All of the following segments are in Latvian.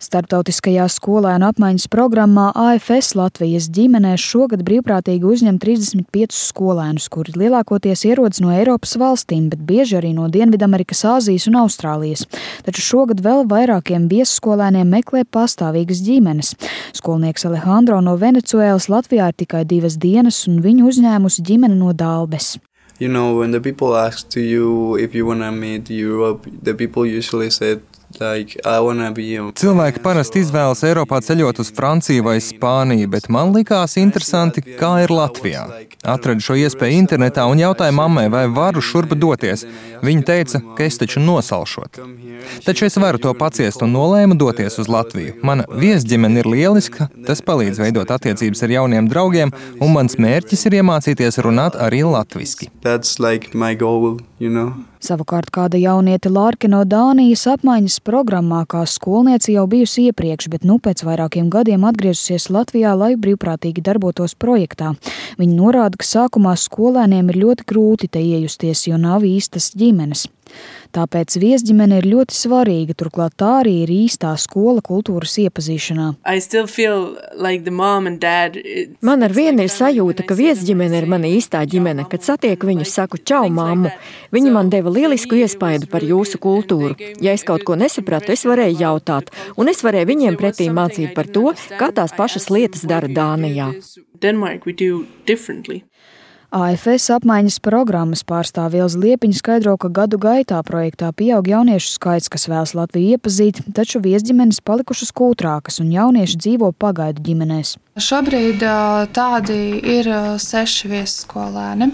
Starptautiskajā skolēnu apmaiņas programmā AFS Latvijas ģimenēs šogad brīvprātīgi uzņem 35 skolēnus, kuri lielākoties ierodas no Eiropas valstīm, bet bieži arī no Dienvidamerikas, Āzijas un Austrālijas. Taču šogad vēl vairākiem viesskolēniem meklē pastāvīgas ģimenes. Skolnieks Alejandro no Venecuēlas Latvijā ir tikai 2 dienas, un viņu uzņēmusi ģimene no Dalbes. You know, when the people ask to you if you want to meet Europe, the people usually said, Cilvēki parasti izvēlas Eiropā ceļot uz Franciju vai Spāniju, bet man likās interesanti, kā ir Latvijā. Atradu šo iespēju internetā un jautāju mammai, vai varu šurp doties. Viņa teica, ka es taču nosalšot. Taču es varu to paciest un nolēmu doties uz Latviju. Mana viesģimene ir lieliska, tas palīdz veidot attiecības ar jauniem draugiem, un mans mērķis ir iemācīties runāt arī latviski. That's like my goal, you know. Savukārt kāda jauniete Lārke no Dānijas apmaiņas programmā kā skolniece jau bijusi iepriekš, bet pēc vairākiem gadiem atgriezusies Latvijā, lai brīvprātīgi darbotos projektā. Viņa norāda, ka sākumā skolēniem ir ļoti grūti te iejusties, jo nav īstas ģimenes. Tāpēc viesģimene ir ļoti svarīga, turklāt tā arī ir īstā skola kultūras iepazīšanā. Man ar vienu ir sajūta, ka viesģimene ir mana īstā ģimene. Kad satieku viņu, saku čau, mammu. Viņi man deva lielisku iespaidu par jūsu kultūru. Ja es kaut ko nesapratu, es varēju jautāt, un es varēju viņiem pretī mācīt par to, kā tās pašas lietas dara Dānijā. AFS apmaiņas programmas pārstāve Ilze Liepiņa skaidro, ka gadu gaitā projektā pieaug jauniešu skaits, kas vēlas Latviju iepazīt, taču viesģimenes palikušas kūtrākas un jaunieši dzīvo pagaidu ģimenēs. Šobrīd tādi ir 6 viesskolēni.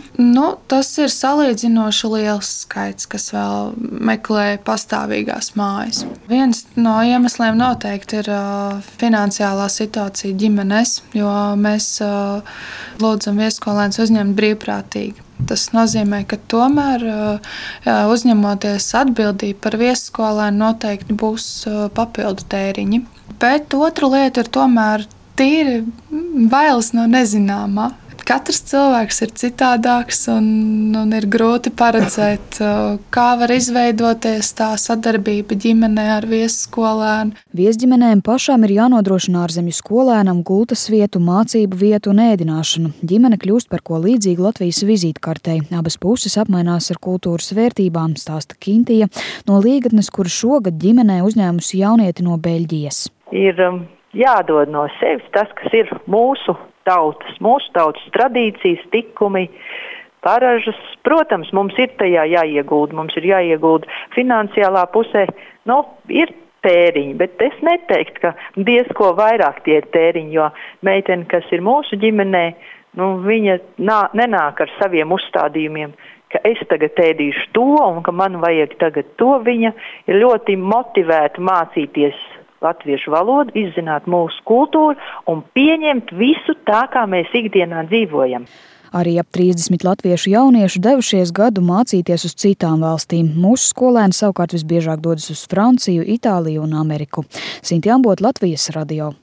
Tas ir salīdzinoši liels skaits, kas vēl meklē pastāvīgās mājas. Viens no iemesliem noteikti ir finansiālā situācija ģimenēs, jo mēs lūdzam viesskolēnus uzņemt brīvprātīgi. Tas nozīmē, ka tomēr uzņemoties atbildību par viesskolēnu noteikti būs papildu tēriņi. Bet otra lieta ir tomēr tīri bailes no nezināmā. Katrs cilvēks ir citādāks un ir grūti paredzēt, kā var izveidoties tā sadarbība ģimenē ar viesskolēnu. Viesģimenēm pašām ir jānodrošina ārzemju skolēnam gultas vietu, mācību vietu un ēdināšanu. Ģimene kļūst par ko līdzīgu Latvijas vizītkartei. Abas puses apmainās ar kultūras vērtībām, stāsta Kintija no Līgatnes, kura šogad ģimenē uzņēmusi jaunieti no Beļģijas. Ir jādod no sevis tas, kas ir mūsu tautas tradīcijas, tikumi, paražas. Protams, mums ir tajā jāiegulda, mums ir jāiegulda finansiālā pusē, ir tēriņi, bet es neteiktu, ka diezko vairāk tie ir tēriņi, jo meitene, kas ir mūsu ģimenē, viņa nenāk ar saviem uzstādījumiem, ka es tagad ēdīšu to un ka man vajag tagad to. Viņa ir ļoti motivēta mācīties latviešu valodu, izzināt mūsu kultūru un pieņemt visu tā, kā mēs ikdienā dzīvojam. Arī ap 30 latviešu jauniešu devušies gadu mācīties uz citām valstīm. Mūsu skolēni savukārt visbiežāk dodas uz Franciju, Itāliju un Ameriku. Sinti Ambot, Latvijas radio.